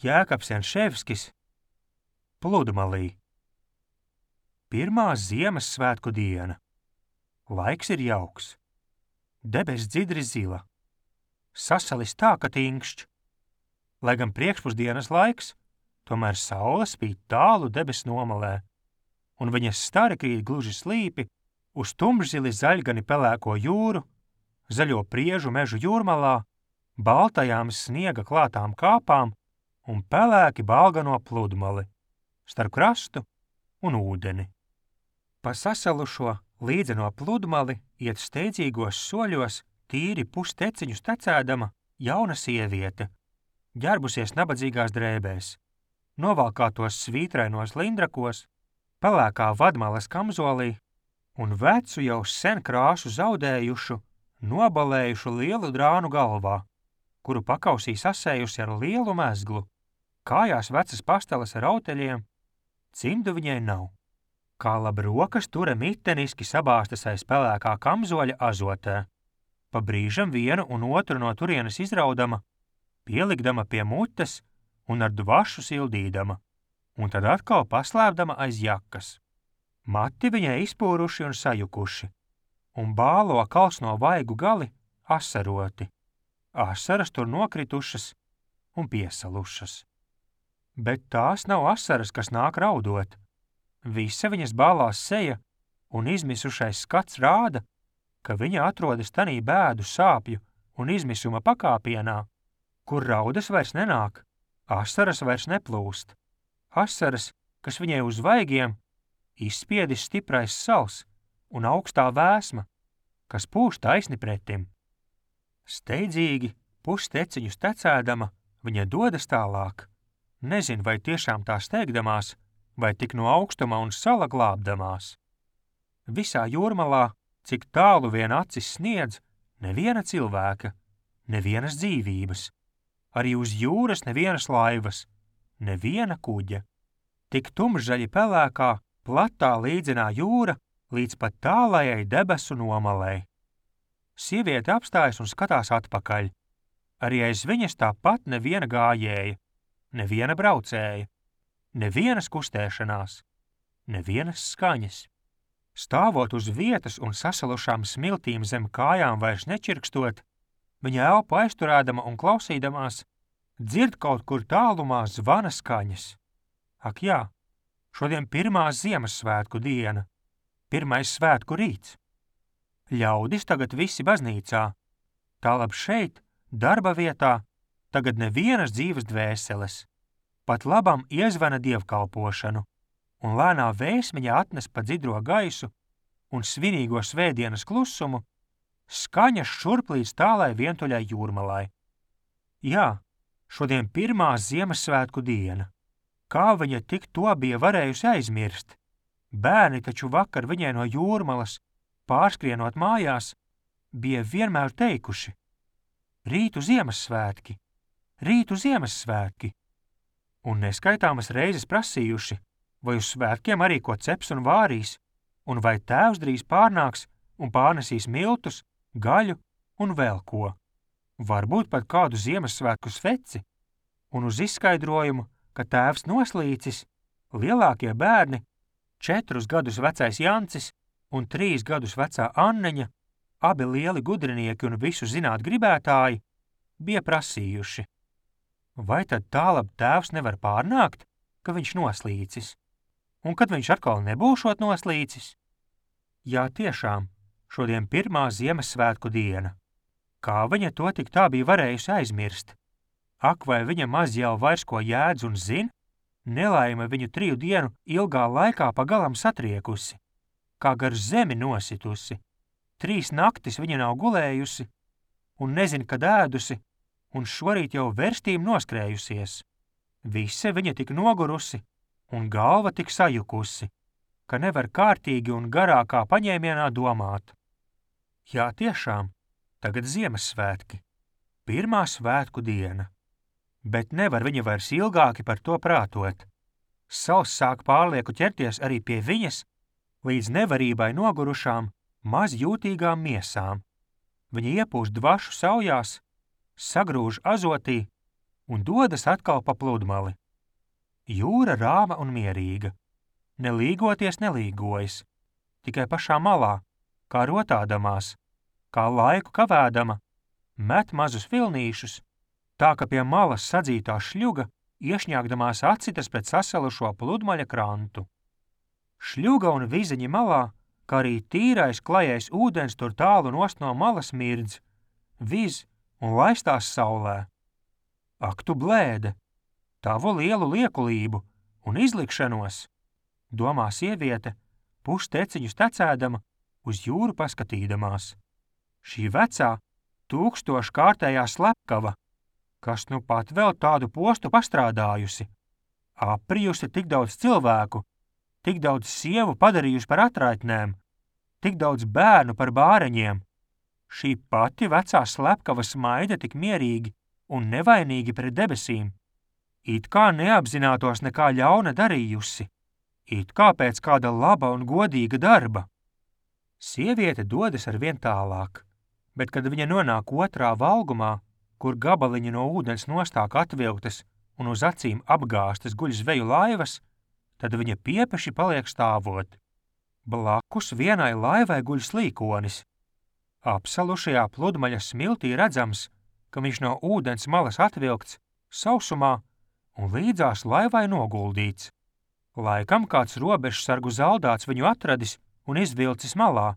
Jēkabs Janševskis, Pludmalī. Pirmā Ziemassvētku diena. Laiks ir jauks. Debess dzidri zila. Sasalis tā, ka tingšķ. Lai gan priekšpusdienas laiks, tomēr saule spīd tālu debes nomalē, un viņas stari krīt gluži slīpi uz tumšzili zaļgani pelēko jūru, zaļo priežu mežu jūrmalā, baltajām sniega klātām kāpām un pelēki balgano Pludmali, starp krastu un ūdeni. Pa sasalušo līdzeno Pludmali iet steidzīgos soļos tīri pusteciņus tecēdama jauna sieviete, ģērbusies nabadzīgās drēbēs, novalkātos svītrainos lindrakos, pelēkā vadmalas kamzolī un vecu jau sen krāsu zaudējušu, nobalējušu lielu drānu galvā, kuru pakausī sasējusi ar lielu mezglu, kājās vecas pasteles ar auteļiem, cimdu viņai nav. Kā labi rokas tura miteniski sabāstas aiz pelēkā kamzoļa azotē, pa brīžam vienu un otru no turienes izraudama, pielikdama pie mutes un ar dvašu sildīdama, un tad atkal paslēpdama aiz jakas. Mati viņai izpūruši un sajukuši, un bālo kalsno vaigu gali asaroti. Asaras tur nokritušas un piesalušas. Bet tās nav asaras, kas nāk raudot. Visa viņas bālās seja un izmisušais skats rāda, ka viņa atrodas tanī bēdu sāpju un izmisuma pakāpienā, kur raudas vairs nenāk, asaras vairs neplūst. Asaras, kas viņai uz vaigiem izspiedis stiprais sals un augstā vēsma, kas pūš taisni pretim. Steidzīgi, pusteciņus tecēdama, viņa dodas tālāk. Nezin, vai tiešām tā steigdamās, vai tik no augstuma un sala glābdamās. Visā jūrmalā, cik tālu vien acis sniedz, neviena cilvēka, nevienas dzīvības. Arī uz jūras nevienas laivas, neviena kuģa. Tik tumšzaļi pelēkā, platā līdzenā jūra līdz pat tālajai debesu nomalei. Sieviete apstājas un skatās atpakaļ. Arī aiz viņas tāpat neviena gājēja, neviena braucēja, nevienas kustēšanās, nevienas skaņas. Stāvot uz vietas un sasalušām smiltīm zem kājām vairs nečirkstot, viņa elpu aizturēdama un klausīdamās, dzird kaut kur tālumā zvana skaņas. Ak jā, šodien pirmā Ziemassvētku diena, pirmais svētku rīts. Ļaudis tagad visi baznīcā, tālab šeit, darba vietā, tagad nevienas dzīves dvēseles. Pat labam iezvana dievkalpošanu, un lēnā vēsmiņa atnes pa dzidro gaisu un svinīgo svētdienas klusumu, skaņas šurp līdz tālai vientuļai jūrmalai. Jā, šodien pirmā Ziemassvētku diena. Kā viņa tik to bija varējusi aizmirst? Bērni taču vakar viņai no jūrmalas, pārskrienot mājās, bija vienmēr teikuši: Rītu Ziemassvētki, rītu Ziemassvētki! Un neskaitāmas reizes prasījuši, vai uz svētkiem arī ko ceps un vārīs, un vai tēvs drīz pārnāks un pārnesīs miltus, gaļu un vēl ko. Varbūt pat kādu Ziemassvētku sveci, un uz izskaidrojumu, ka tēvs noslīcis, lielākie bērni, 4 gadus vecais Jancis un 3 gadus vecā Anneņa, abi lieli gudrinieki un visu zināt gribētāji, bija prasījuši: vai tad tālab tēvs nevar pārnākt, ka viņš noslīcis, un kad viņš atkal nebūšot noslīcis? Jā, tiešām, šodien pirmā Ziemassvētku diena. Kā viņa to tik tā bija varējusi aizmirst? Ak, vai viņa maz jau vairs ko jēdz un zin? Nelaime viņu 3 dienu ilgā laikā pagalam satriekusi, kā gar zemi nositusi. 3 naktis viņa nav gulējusi, un nezin, kad ēdusi, un šorīt jau verstīm noskrējusies. Visa viņa tik nogurusi, un galva tik sajukusi, ka nevar kārtīgi un garākā paņēmienā domāt. Jā, tiešām, tagad Ziemassvētki, pirmā svētku diena, bet nevar viņa vairs ilgāki par to prātot. Sals sāk pārlieku ķerties arī pie viņas, līdz nevarībai nogurušām, maz jūtīgām miesām. Viņa iepūš dvašu saujās, sagrūž azotī un dodas atkal pa pludmali. Jūra rāma un mierīga. Ne līgoties nelīgojas, tikai pašā malā, kā rotādamās, kā laiku kavēdama, met mazus vilnīšus, tā ka pie malas sadzītā šļuga iešņāgdamās acitas pret sasalušo pludmaļa krantu. Šļuga un viziņi malā, kā arī tīrais klajais ūdens tur tālu nost no malas mirdz, viz un laistās saulē. Ak tu blēde, tavu lielu liekulību un izlikšanos, domā sieviete, pusteciņus tecēdama, uz jūru paskatīdamās. Šī vecā, 1000-kārtējā slepkava, kas nu pat vēl tādu postu pastrādājusi, aprijusi tik daudz cilvēku, tik daudz sievu padarījusi par atraitnēm, tik daudz bērnu par bāreņiem. Šī pati vecā slepkava smaida tik mierīgi un nevainīgi pret debesīm, it kā neapzinātos nekā ļauna darījusi, it kā pēc kāda laba un godīga darba. Sieviete dodas arvien tālāk, bet kad viņa nonāk otrā valgumā, kur gabaliņi no ūdens nostāk atvilktas un uz acīm apgāstas guļ zveju laivas, tad viņa piepeši paliek stāvot. Blakus vienai laivai guļ slīkonis. Apsalušajā pludmaļa smiltī redzams, ka viņš no ūdens malas atvilkts, sausumā un līdzās laivai noguldīts. Laikam kāds robežsargu zaldāts viņu atradis un izvilcis malā,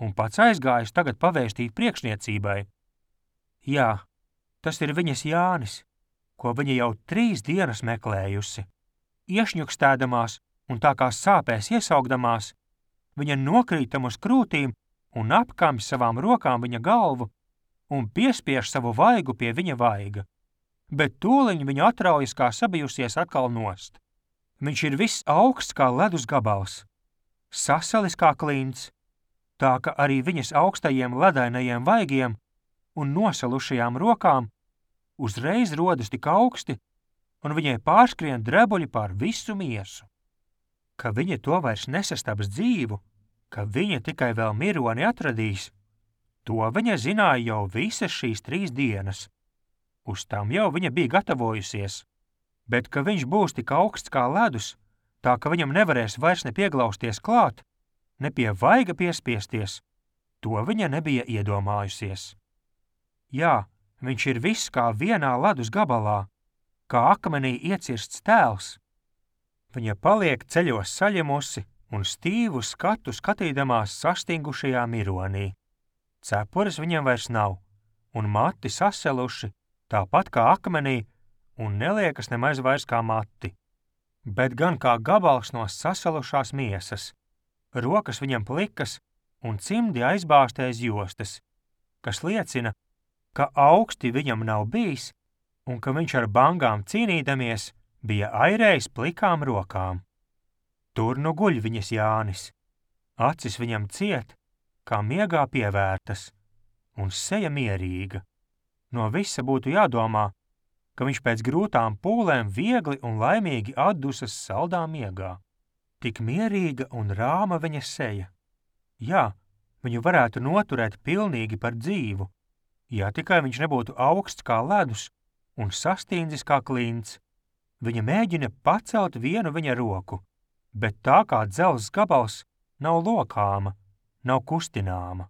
un pats aizgājis tagad pavēstīt priekšniecībai. Jā, tas ir viņas Jānis, ko viņa jau 3 dienas meklējusi. Iešņukstēdamās un tā kā sāpēs iesaugdamās, viņa nokrītam uz krūtīm un apkamj savām rokām viņa galvu un piespiež savu vaigu pie viņa vaiga. Bet tūliņ viņa atraujas kā sabijusies atkal nost. Viņš ir viss augsts kā ledus gabals, sasalis kā klints, tā ka arī viņas augstajiem ledainajiem vaigiem un nosalušajām rokām uzreiz rodas tik augsti, un viņai pārskrien drebuļi pār visu miesu. Ka viņa to vairs nesastabs dzīvu, ka viņa tikai vēl mironi atradīs, to viņa zināja jau visas šīs 3 dienas. Uz tam jau viņa bija gatavojusies, bet ka viņš būs tik augsts kā ledus, tā ka viņam nevarēs vairs ne pieglausties klāt, ne pie vaiga piespiesties, to viņa nebija iedomājusies. Jā, viņš ir viss kā vienā ledus gabalā, kā akmenī iecirsts tēls. Viņa paliek ceļos saļemusi un stīvu skatu skatīdamās sastingušajā mironī. Cepures viņam vairs nav, un mati saseluši, tāpat kā akmenī, un neliekas nemaz vairs kā mati, bet gan kā gabals no sasalušās miesas. Rokas viņam plikas un cimdi aizbāztēs jostas, kas liecina, ka augsti viņam nav bijis un ka viņš ar bangām cīnīdamies bija airējis plikām rokām. Tur nu guļ viņas Jānis, acis viņam ciet, kā miegā pievērtas, un seja mierīga. No visa būtu jādomā, ka viņš pēc grūtām pūlēm viegli un laimīgi atdusas saldā miegā. Tik mierīga un rāma viņa seja. Jā, viņu varētu noturēt pilnīgi par dzīvu, ja tikai viņš nebūtu augsts kā ledus un sastīndzis kā klints. Viņa mēģina pacelt vienu viņa roku, bet tā kā dzelzs gabals nav lokāma, nav kustināma.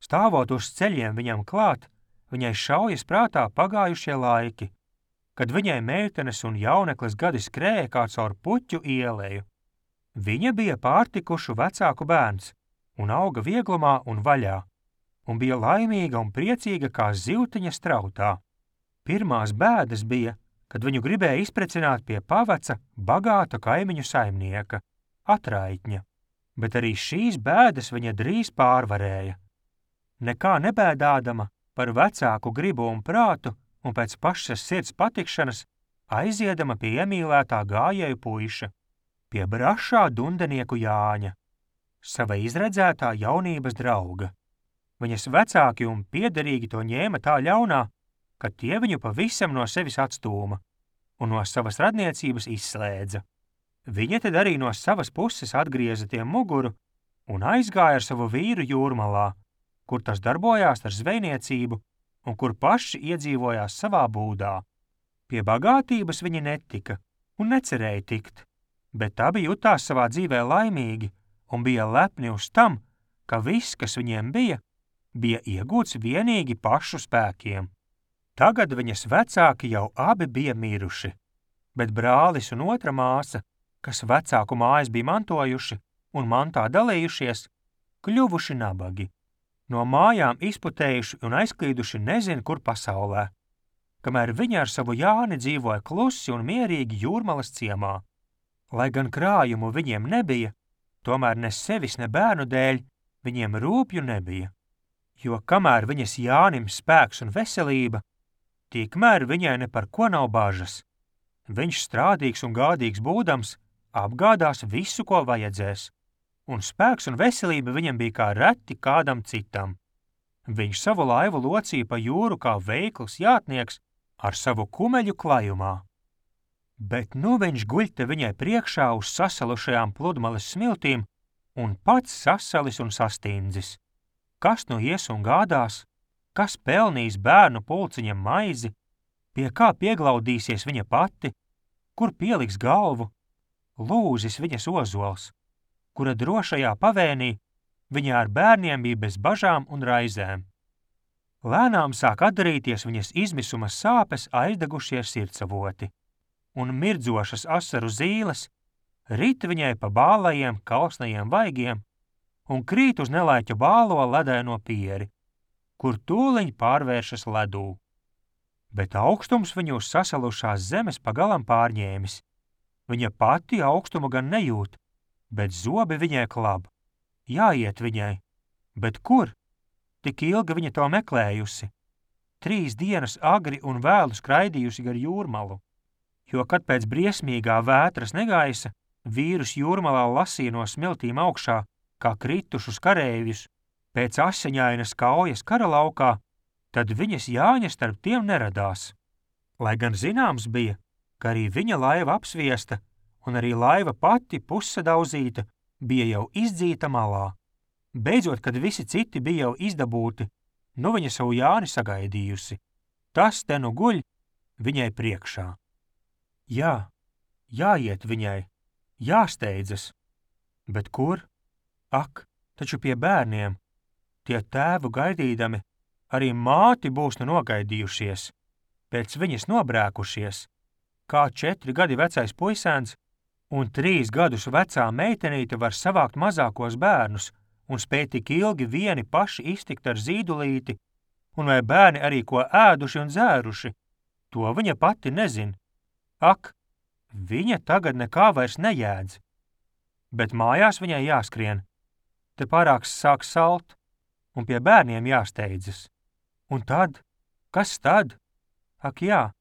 Stāvot uz ceļiem viņam klāt, viņai šaujas prātā pagājušie laiki, kad viņai meitenes un jauneklis gadi skrēja kā caur puķu ieleju. Viņa bija pārtikušu vecāku bērns un auga vieglumā un vaļā, un bija laimīga un priecīga kā zivtiņa strautā. Pirmās bēdas bija, kad viņu gribēja izprecināt pie paveca bagāta kaimiņu saimnieka, atraitņa, bet arī šīs bēdas viņa drīz pārvarēja. Nekā nebēdādama par vecāku gribu un prātu un pēc pašas sirds patikšanas aiziedama pie iemīlētā gājēju puiša, pie brašā dundenieku Jāņa, sava izredzētā jaunības drauga. Viņas vecāki un piederīgi to ņēma tā ļaunā, ka tie viņu pavisam no sevis atstūma un no savas radniecības izslēdza. Viņa tad arī no savas puses atgrieza tiem muguru un aizgāja ar savu vīru jūrmalā, kur tas darbojās ar zvejniecību un kur paši iedzīvojās savā būdā. Pie bagātības viņi netika un necerēja tikt, bet abi jutās savā dzīvē laimīgi un bija lepni uz tam, ka viss, kas viņiem bija iegūts vienīgi pašu spēkiem. Tagad viņas vecāki jau abi bija miruši, bet brālis un otra māsa, kas vecāku mājas bija mantojuši un mantā dalījušies, kļuvuši nabagi, no mājām izputējuši un aizklīduši nezin kur pasaulē, kamēr viņi ar savu Jāni dzīvoja klusi un mierīgi Jūrmalas ciemā. Lai gan krājumu viņiem nebija, tomēr ne sevis, ne bērnu dēļ viņiem rūpju nebija, jo kamēr viņas Jānim spēks un veselība, tikmēr viņai ne par ko nav bažas. Viņš strādīgs un gādīgs būdams apgādās visu, ko vajadzēs, un spēks un veselība viņam bija kā reti kādam citam. Viņš savu laivu locīja pa jūru kā veikls jātnieks ar savu kumeļu klajumā. Bet nu viņš guļ te viņai priekšā uz sasalušajām pludmales smiltīm un pats sasalis un sastindzis. Kas nu ies un gādās, kas pelnīs bērnu pulciņam maizi, pie kā pieglaudīsies viņa pati, kur pieliks galvu, lūzis viņas ozols, kura drošajā pavēnī viņa ar bērniem bija bez bažām un raizēm. Lēnām sāk atdarīties viņas izmisuma sāpes aizdegušie sirdsavoti, un mirdzošas asaru zīles rit viņai pa bālajiem kalsnajiem vaigiem un krīt uz nelaiķu bālo ledaino pieri, kur tūliņ pārvēršas ledū. Bet augstums viņu uz sasalušās zemes pagalam pārņēmis. Viņa pati augstumu gan nejūt, bet zobi viņai klab. Jāiet viņai, bet kur? Tik ilgi viņa to meklējusi. 3 dienas agri un vēlu skraidījusi gar Jūrmalu, jo, kad pēc briesmīgā vētras negaisa, vīrus Jūrmalā lasīja no smiltīm augšā, kā kritušus kareivjus, pēc asiņainas kaujas karalaukā, tad viņas Jāņa starp tiem neradās. Lai gan zināms bija, ka arī viņa laiva apsviesta un arī laiva pati pussadauzīta bija jau izdzīta malā. Beidzot, kad visi citi bija jau izdabūti, nu viņa savu Jāni sagaidījusi. Tas te nu guļ viņai priekšā. Jā, jāiet viņai, jāsteidzas. Bet kur? Ak, taču pie bērniem. Tie tēvu gaidīdami, arī māti būs nu nogaidījušies, pēc viņas nobrēkušies, kā 4 gadi vecais puisēns un 3 gadus vecā meitenīte var savākt mazākos bērnus un spēj tik ilgi vieni paši iztikt ar zīdulīti, un vai bērni arī ko ēduši un dzēruši, to viņa pati nezin. Ak, viņa tagad nekā vairs nejēdz, bet mājās viņai jāskrien, te pārāks sāk salt, un pie bērniem jāsteidzas. Un tad? Kas tad? Ak jā,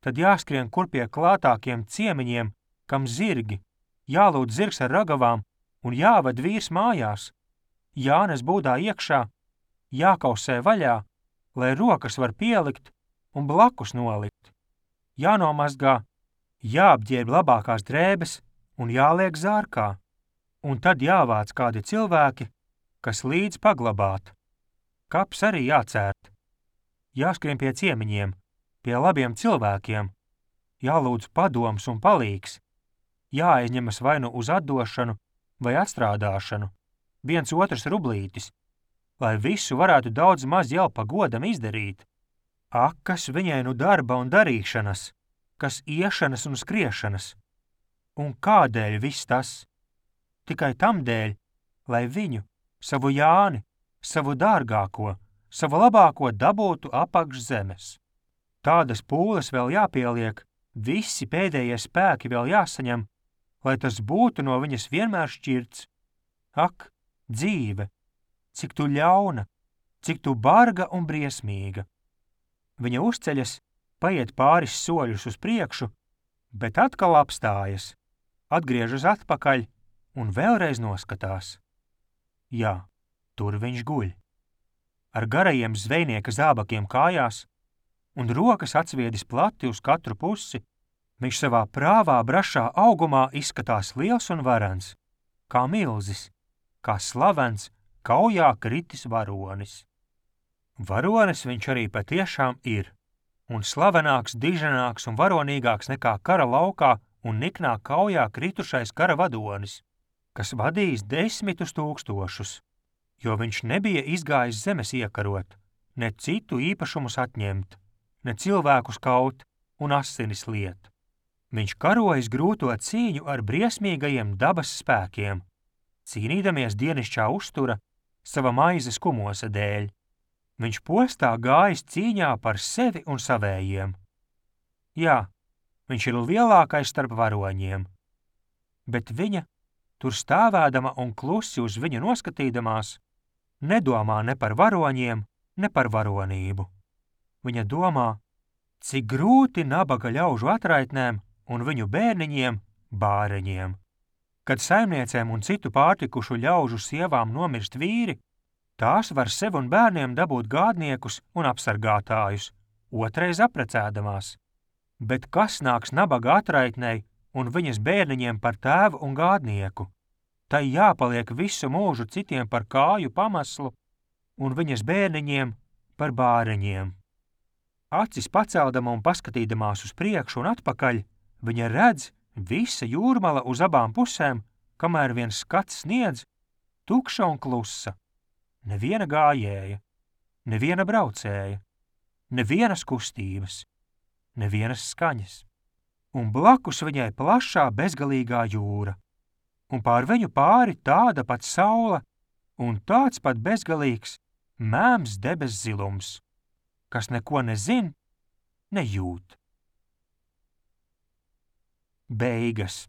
tad jāskrien kur pie klātākiem ciemiņiem, kam zirgi, jālūdz zirgs ar ragavām un jāved vīrs mājās, jānes būdā iekšā, jākausē vaļā, lai rokas var pielikt un blakus nolikt, jānomazgā, jāapģērb labākās drēbes un jāliek zārkā, un tad jāvāc kādi cilvēki, kas līdz paglabāt. Kaps arī jācērt. Jāskrien pie ciemiņiem, pie labiem cilvēkiem, jālūdz padoms un palīgs, jāaizņemas vai nu uz atdošanu vai atstrādāšanu, 1 otrs rublītis, lai visu varētu daudz maz jau pa godam izdarīt. Ak, kas viņai nu darba un darīšanas, kas iešanas un skriešanas. Un kādēļ viss tas? Tikai tam dēļ, lai viņu, savu Jāni, savu dārgāko, savu labāko dabūtu apakš zemes. Tādas pūles vēl jāpieliek, visi pēdējie spēki vēl jāsaņem, lai tas būtu no viņas vienmēr šķirts. Ak, dzīve, cik tu ļauna, cik tu barga un briesmīga. Viņa uzceļas, paiet pāris soļus uz priekšu, bet atkal apstājas, atgriežas atpakaļ un vēlreiz noskatās. Jā, tur viņš guļ. Ar garajiem zvejnieka zābakiem kājās un rokas atsviedis plati uz katru pusi, viņš savā prāvā brašā augumā izskatās liels un varens, kā milzis, kā slavens, kaujā kritis varonis. Varonis viņš arī patiešām ir. un slavenāks, diženāks un varonīgāks nekā kara laukā un niknā kaujā kritušais kara vadonis, kas vadījis 10 000, jo viņš nebija izgājis zemes iekarot, ne citu īpašumus atņemt, ne cilvēkus kaut un asinis liet. Viņš karojis grūto cīņu ar briesmīgajiem dabas spēkiem, cīnīdamies dienišķā uztura sava maizes kumosa dēļ. Viņš postā gājis cīņā par sevi un savējiem. Jā, viņš ir lielākais starp varoņiem, bet viņa, tur stāvēdama un klusi uz viņu noskatīdamās, nedomā ne par varoņiem, ne par varonību. Viņa domā, cik grūti nabaga ļaužu atraitnēm un viņu bērniņiem, bāreņiem. Kad saimniecēm un citu pārtikušu ļaužu sievām nomirst vīri, tās var sev un bērniem dabūt gādniekus un apsargātājus, otrais aprecēdamās. Bet kas nāks nabaga atraitnei un viņas bērniņiem par tēvu un gādnieku? Tai jāpaliek visu mūžu citiem par kāju pamaslu un viņas bērniņiem par bāreņiem. Acis paceldama un paskatīdamās uz priekšu un atpakaļ, viņa redz visa jūrmala uz abām pusēm, kamēr viens skats sniedz, tukša un klusa. Neviena gājēja, neviena braucēja, nevienas kustības, nevienas skaņas. Un blakus viņai plašā bezgalīgā jūra, un pār viņu pāri tāda pat saule un tāds pat bezgalīgs mēms debes zilums, kas neko nezin, nejūt. Beigas.